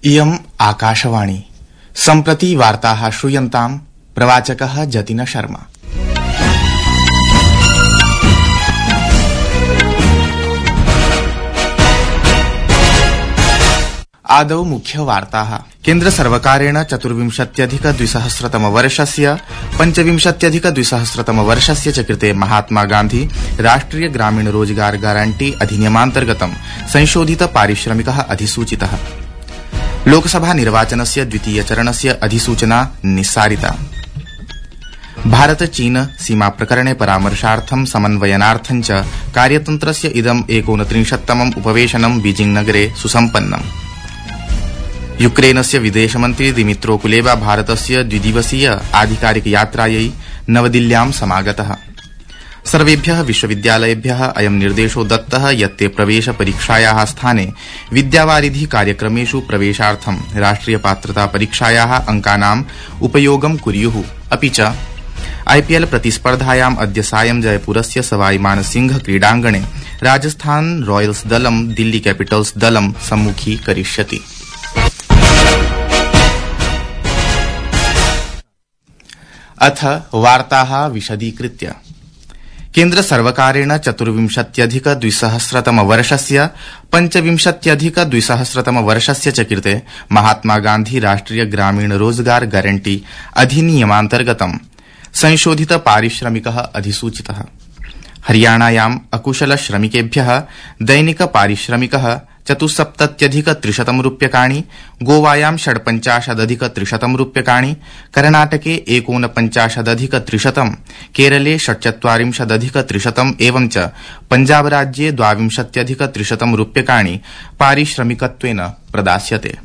इयम् आकाशवाणी सम्प्रति वार्ताः श्रूयन्ताम् प्रवाचकः जतिन शर्मा। आदौ मुख्यवार्ताः। केन्द्रसर्वकारेण 24,200 25,200 च कृते महात्मा गांधी राष्ट्रिय ग्रामीण रोजगार गारंटी अधिनियमान्तर्गतं संशोधित पारिश्रमिकः अधिसूचितः। लोकसभा निर्वाचनस्य द्वितीय चरणस्य अधिसूचना निस्सारिता। भारत चीन सीमा प्रकरणे परामर्शार्थं समन्वयनार्थं च कार्यतन्त्रस्य इदं 39तमम् उपवेशनं बीजिंग नगरे सुसम्पन्नम्। यूक्रेनस्य विदेशमन्त्री दिमित्रो कुलेबा भारतस्य द्विदिवसीय आधिकारिक यात्रायै नवदिल्ल्यां समागतः। सर्वेभ्यः विश्वविद्यालयेभ्यः अयं निर्देशो दत्तः यत् ते प्रवेश परीक्षायाः स्थाने विद्यावारिधि कार्यक्रमेषु प्रवेशार्थं राष्ट्रिय पात्रता परीक्षायाः अंकानाम् उपयोगं कुर्युः। अपि च आईपीएल प्रतिस्पर्धायाम् अद्य सायं जयपुरस्य सवाई मानसिंह क्रीडाङ्गणे राजस्थान रॉयल्स दलं दिल्ली कैपिटल्स दलं सम्मुखीकरिष्यति। अथ वार्ताः विशदीकृत्य। केन्द्र सर्वकारेण 24,200 25,200 च कृते महात्मा गांधी राष्ट्रिय ग्रामीण रोजगार गारंटी अधिनियमान्तर्गतं संशोधित पारिश्रमिकः अधिसूचितः। हरियाणायाम् अकुशल श्रमिकेभ्यः दैनिक पारिश्रमिकः 74,300 रूप्यकाणि, गोवायां 58,300 रूप्यकाणि, कर्णाटके 49,300, केरले 47,300 एवं च पंजाब राज्ये 22,300 रूप्यकाणि पारिश्रमिकत्वेन प्रदास्यते।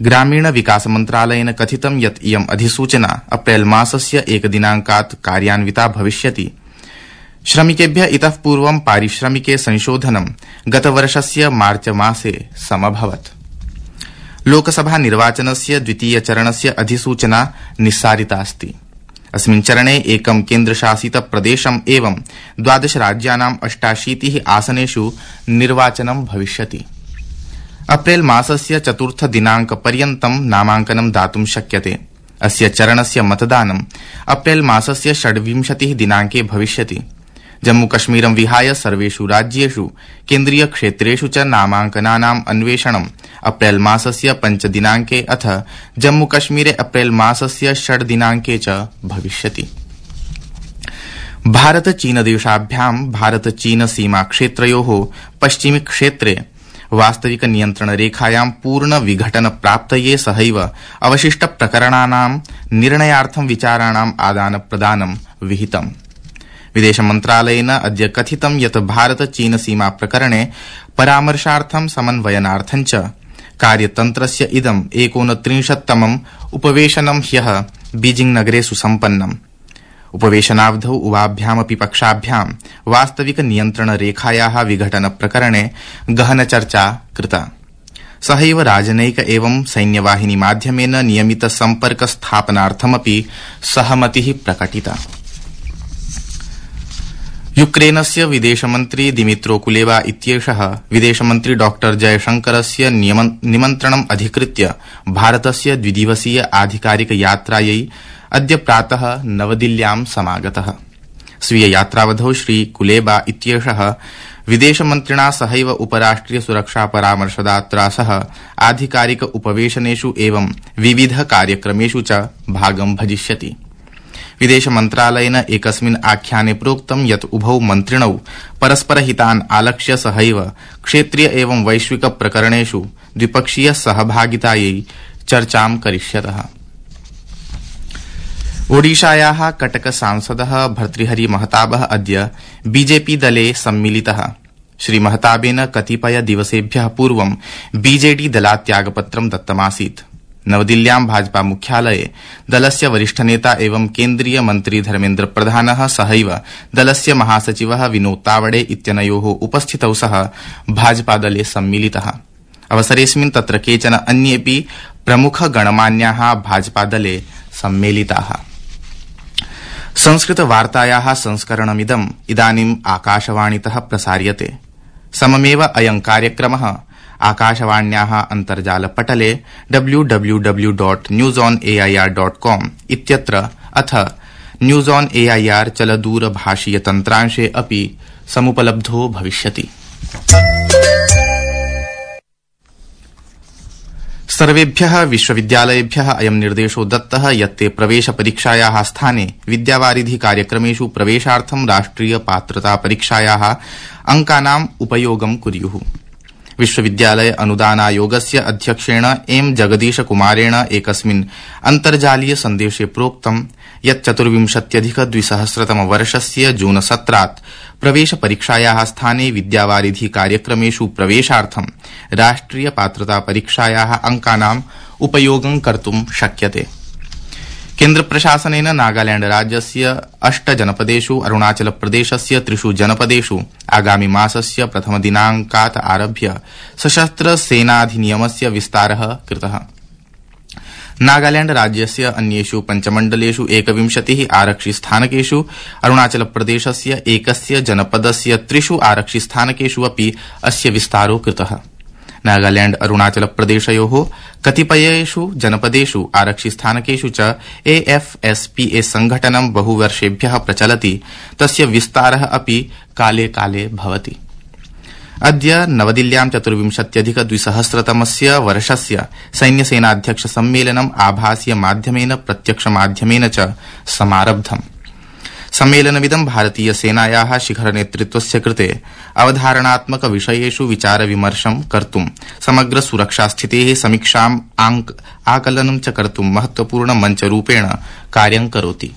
ग्रामीण विकास मन्त्रालयेन कथितं यत् इयम् अधिसूचना अप्रैल मासस्य 1 दिनाङ्कात् कार्यान्विता भविष्यति। श्रमिकेभ्यः इतः पूर्वं पारिश्रमिके संशोधनं गतवर्षस्य मार्च मासे समभवत्। लोकसभा निर्वाचनस्य द्वितीय चरणस्य अधिसूचना निस्सारिता अस्ति। अस्मिन् चरणे एकं केन्द्रशासित प्रदेशम् एवं 12 राज्यानाम् 88 आसनेषु निर्वाचनं भविष्यति। अप्रैल मासस्य 4 दिनाङ्कपर्यन्तं नामाङ्कनं दातुं शक्यते। अस्य चरणस्य मतदानं अप्रैल मासस्य 26 दिनाङ्के भविष्यति। जम्मूकश्मीरं विहाय सर्वेषु राज्येषु केन्द्रीय क्षेत्रेषु च नामाङ्कनानाम् अन्वेषणं अप्रैल मासस्य 5 दिनाङ्के अथ जम्मूकश्मीरे अप्रैल मासस्य 6 दिनाङ्के च भविष्यति। भारत चीन देशाभ्यां भारत चीन सीमा क्षेत्रयोः पश्चिमी क्षेत्रे वास्तविक नियन्त्रण रेखायां पूर्ण विघटन प्राप्तये सहैव अवशिष्ट प्रकरणानां निर्णयार्थं विचाराणाम् आदान प्रदानं विहितम्। विदेश मन्त्रालयेन अद्य कथितं यत् भारत चीन सीमा प्रकरणे परामर्शार्थं समन्वयनार्थं च कार्यतन्त्रस्य इदं 39तमम् उपवेशनं ह्यः बीजिंग नगरे सुसम्पन्नम्। उपवेशनावधौ उभाभ्यामपि पक्षाभ्यां वास्तविक नियन्त्रण रेखायाः विघटन प्रकरणे गहन चर्चा कृता। सहैव राजनैक एवं सैन्यवाहिनी माध्यमेन नियमित सम्पर्क स्थापनार्थमपि सहमतिः प्रकटिता। यूक्रेनस्य विदेशमन्त्री दिमित्रो कुलेबा इत्येषः विदेशमन्त्री डॉ जयशंकरस्य निमन्त्रणम् अधिकृत्य भारतस्य द्विदिवसीय आधिकारिक यात्रायै अद्य प्रातः नवदिल्ल्यां समागतः। स्वीय यात्रावधौ श्री कुलेबा इत्येषः विदेशमन्त्रिणा सहैव उपराष्ट्रिय सुरक्षा परामर्शदात्रा सह आधिकारिक उपवेशनेषु एवं विविध कार्यक्रमेषु च भागं भजिष्यति। विदेश मन्त्रालयेन एकस्मिन् आख्याने प्रोक्तं यत् उभौ मन्त्रिणौ परस्परहितान् आलक्ष्य सहैव क्षेत्रीय एवं वैश्विक प्रकरणेषु द्विपक्षीय सहभागितायै चर्चां करिष्यतः। ओडिशायाः कटक सांसदः भर्तृहरि महताबः अद्य बीजेपी दले सम्मिलितः। श्री महताबेन कतिपय दिवसेभ्यः पूर्वं बीजेडी दलात् त्यागपत्रं दत्तमासीत्। नवदिल्ल्यां भाजपा मुख्यालये दलस्य वरिष्ठनेता एवं केन्द्रीय मन्त्री धर्मेन्द्र प्रधानः सहैव दलस्य महासचिवः विनोद तावडे इत्यनयोः उपस्थितौ सह भाजपादले सम्मिलितः। अवसरेऽस्मिन् तत्र केचन अन्येऽपि प्रमुख गणमान्याः भाजपादले सम्मेलिताः। संस्कृत वार्तायाः संस्करणमिदम् इदानीम् आकाशवाणीतः प्रसार्यते। सममेव अयं कार्यक्रमः आकाशवाण्याः अन्तर्जालपटले www.newsonair.com इत्यत्र अथ न्यूज ऑन एआईआर चलदूरभाषीय तन्त्रांशे अपि समुपलब्धो भविष्यति। सर्वेभ्यः विश्वविद्यालयेभ्यः अयं निर्देशो दत्तः यत् ते प्रवेशपरीक्षायाः स्थाने विद्यावारिधि कार्यक्रमेषु प्रवेशार्थं राष्ट्रिय पात्रता परीक्षायाः अंकानाम् उपयोगं कुर्युः। विश्वविद्यालय अनुदानायोगस्य अध्यक्षेण एम जगदीश कुमारेण एकस्मिन् अन्तर्जालीय सन्देशे प्रोक्तं यत् 24-2000 वर्षस्य जून 17 प्रवेशपरीक्षायाः स्थाने विद्यावारिधि कार्यक्रमेषु प्रवेशार्थं राष्ट्रिय पात्रता परीक्षायाः अंकानाम् उपयोगं कर्तुं शक्यते। केन्द्रप्रशासनेन नागालैंड राज्यस्य 8 जनपदेषु अरुणाचल प्रदेशस्य 3 जनपदेषु आगामि मासस्य प्रथम दिनांकात् आरभ्य सशस्त्र सेनाधिनियमस्य विस्तारः कृतः। नागालैंड राज्यस्य अन्येषु 5 मण्डलेषु 21 आरक्षिस्थानकेषु अरुणाचल प्रदेशस्य एकस्य जनपदस्य 3 आरक्षिस्थानकेषु अपि अस्य विस्तारो कृतः। नागालैंड अरुणाचल प्रदेशयोः कतिपयेषु जनपदेषु आरक्षिस्थानकेषु च AFSPA संघटनं बहुवर्षेभ्यः प्रचलति, तस्य विस्तारः अपि काले काले भवति। अद्य नवदिल्ल्यां 24-2000 वर्षस्य सैन्यसेनाध्यक्ष सम्मेलनम् आभासीय माध्यमेन प्रत्यक्षमाध्यमेन च समारब्धम्। सम्मेलनमिदं भारतीय सेनायाः शिखर नेतृत्वस्य कृते अवधारणात्मक विषयेषु विचार विमर्शं कर्तुं समग्र सुरक्षा स्थितेः समीक्षाम् आकलनं च कर्तुं महत्वपूर्ण मञ्चरूपेण कार्यं करोति।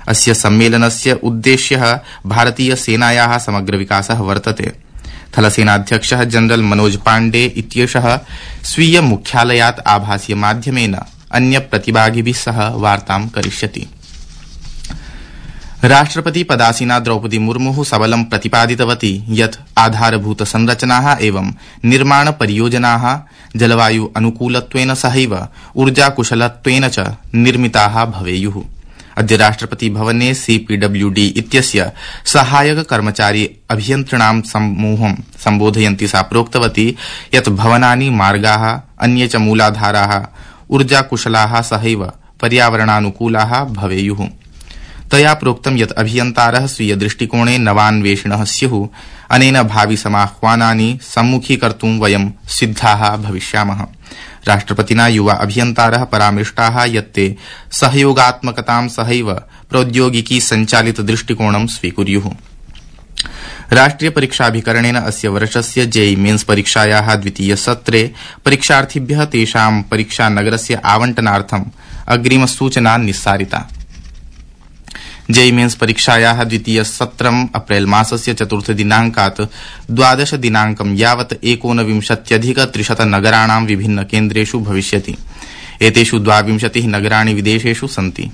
अस्य सम्मेलनस्य उद्देश्यः भारतीय सेनायाः समग्र विकासः वर्तते। थलसेनाध्यक्षः जनरल मनोज पाण्डे इत्येषः स्वीय मुख्यालयात् आभासीय माध्यमेन अन्य प्रतिभागिभिः सह वार्तां करिष्यति। राष्ट्रपति पदासीना द्रौपदी मुर्मुः सबलं प्रतिपादितवती यत् आधारभूत संरचनाः एवं निर्माण परियोजनाः जलवायु अनुकूलत्वेन सहैव ऊर्जाकुशलत्वेन च निर्मिताः भवेयुः। अद्य राष्ट्रपति भवने CPWD इत्यस्य सहायक कर्मचारी अभियन्त्रिणां समूहं सम्बोधयन्ती सा प्रोक्तवती यत् भवनानि, मार्गाः, अन्ये च मूलाधाराः ऊर्जाकुशलाः सहैव पर्यावरणानुकूलाः भवेयुः। तया प्रोक्तं यत् अभियन्तारः स्वीय दृष्टिकोणे नवान्वेषिणः स्युः। अनेन भावि समाह्वानानि सम्मुखीकर्तुं वयं सिद्धाः भविष्यामः। राष्ट्रपतिना युवा अभियन्तारः परामृष्टाः यत् ते सहयोगात्मकतां सहैव प्रौद्योगिकी संचालित दृष्टिकोणं स्वीकुर्युः। राष्ट्रिय परीक्षाभिकरणेन अस्य वर्षस्य JEE मेन्स परीक्षायाः द्वितीय सत्रे परीक्षार्थिभ्यः तेषां परीक्षानगरस्य आवण्टनार्थम् अग्रिमसूचना निस्सारिता। JEE मेन्स परीक्षायाः द्वितीय सत्रम् अप्रैल मासस्य 4 दिनांकात् 12 दिनांकं यावत् 19,300 नगराणां विभिन्न केन्द्रेषु भविष्यति। एतेषु 22 नगराणि विदेशेषु सन्ति।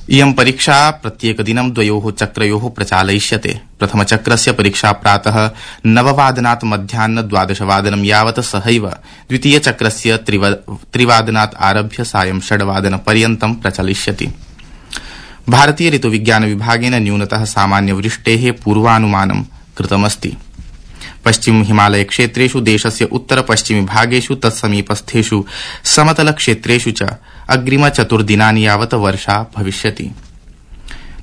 इयं परीक्षा प्रत्येकदिनं 2 चक्रयोः प्रचालयिष्यते। प्रथमचक्रस्य परीक्षा प्रातः 9 वादनात् मध्याह्न 12 वादनं यावत् सहैव द्वितीयचक्रस्य 3 वादनात् आरभ्य सायं 6 वादनपर्यन्तं प्रचलिष्यति। भारतीय ऋतुविज्ञान विभागेन न्यूनतः सामान्यवृष्टेः पूर्वानुमानं कृतमस्ति। पश्चिम हिमालय क्षेत्रेषु देशस्य उत्तर पश्चिमी भागेषु तत्समीपस्थेषु समतल क्षेत्रेषु च अग्रिम 4 दिनानि यावत् वर्षा भविष्यति।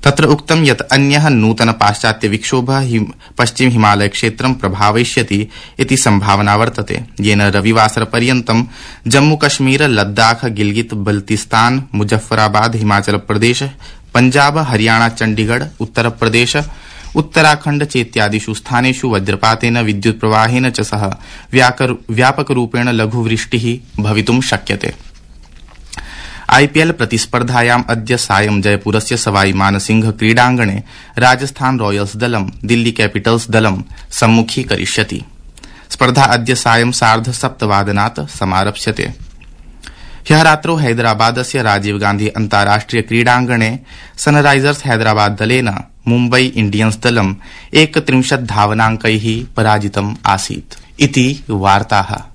तत्र उक्तं यत् अन्यः नूतन पाश्चात्य विक्षोभः पश्चिम हिमालय क्षेत्रं प्रभावयिष्यति इति संभावना वर्तते, येन रविवासर पर्यन्तं जम्मू कश्मीर, लद्दाख, गिलगित बल्तिस्तान, मुजफ्फराबाद, हिमाचल प्रदेश, पंजाब, हरियाणा, चंडीगढ़, उत्तर प्रदेश, उत्तराखण्ड चेत्यादिषु स्थानेषु वज्रपातेन, विद्युत् प्रवाहेन च सह व्यापकरूपेण लघुवृष्टिः भवितुं शक्यते। IPL प्रतिस्पर्धायाम् अद्य सायं जयपुरस्य सवाई मानसिंह क्रीडाङ्गणे राजस्थान रॉयल्स दलं दिल्ली कैपिटल्स दलं सम्मुखीकरिष्यति। स्पर्धा अद्य सायं 7:30 वादनात् समारप्स्यते। ह्यः रात्रौ हैदराबादस्य राजीव गांधी अन्ताराष्ट्रिय क्रीडाङ्गणे सनराइजर्स हैदराबाद दलेन मुम्बई इंडियन्स दलं 31 धावनाङ्कैः पराजितम् आसीत्। इति वार्ताः।